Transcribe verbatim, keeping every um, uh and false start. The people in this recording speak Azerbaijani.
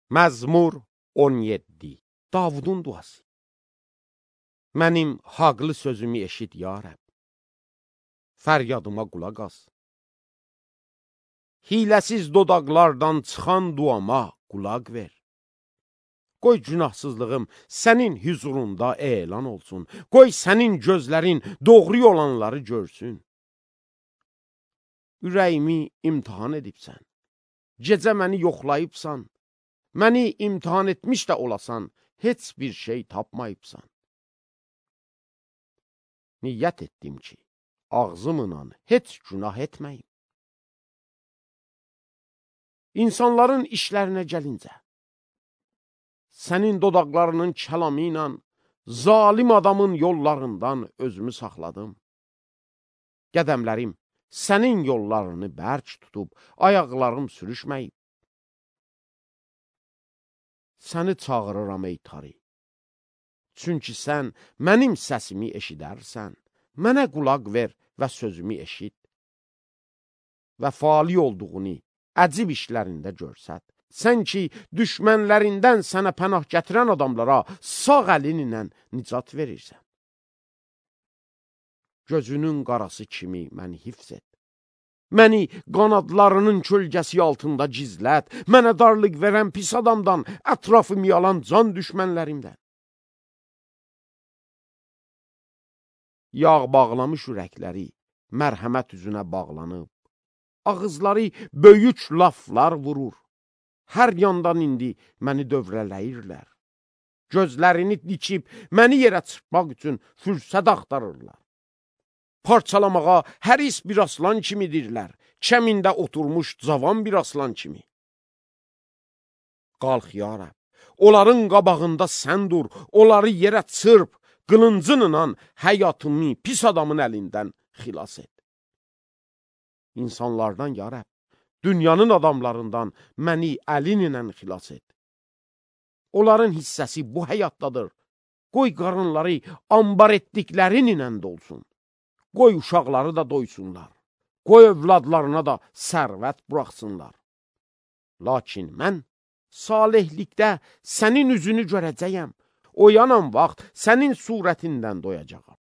Məzmur on yeddi. Davudun duası. Mənim haqlı sözümü eşit, ya Rəbb. Fəryadıma qulaq as. Hiləsiz dodaqlardan çıxan duama qulaq ver. Qoy günahsızlığım sənin hüzurunda elan olsun. Qoy sənin gözlərin doğru olanları görsün. Ürəyimi imtihan edibsən. Gecə məni yoxlayıbsan. Məni imtihan etmiş də olasan, heç bir şey tapmayıbsan. Niyyət etdim ki, ağzımla heç günah etməyim. İnsanların işlərinə gəlincə, sənin dodaqlarının kəlamı ilə zalim adamın yollarından özümü saxladım. Qədəmlərim sənin yollarını bərk tutub, ayaqlarım sürüşməyib. Səni çağırıram ey tarih. Çünki sən mənim səsimi eşidərsən, mənə qulaq ver və sözümü eşit. Və fali olduğunu əcib işlərində görsət. Sən ki, düşmənlərindən sənə pənah gətirən adamlara sağ əlinlə nicat verirsən. Gözünün qarası kimi məni hifz et. Məni qanadlarının kölgəsi altında gizlət. Mənə darlıq verən pis adamdan, ətrafımı yalan can düşmənlərimdən. Yağ bağlamış ürəkləri mərhəmət üzünə bağlanıb. Ağızları böyük laflar vurur. Hər yandan indi məni dövrələyirlər. Gözlərini dikib məni yerə çırpmaq üçün fürsət axtarırlar. Parçalamağa həris bir aslan kimidirlər. Kəmində oturmuş cavan bir aslan kimi. Qalx ya Rəbb, onların qabağında sən dur, onları yerə çırp, qılıncınla həyatımı pis adamın əlindən xilas et. İnsanlardan ya Rəbb, dünyanın adamlarından məni əlinlə xilas et. Onların hissəsi bu həyatdadır. Qoy qarınları ambar etdiklərinlə dolsun. Qoy uşaqları da doysunlar. Qoy övladlarına da sərvət buraxsınlar. Lakin mən salihlikdə sənin üzünü görəcəyəm. Oyanan vaxt sənin surətindən doyacağam.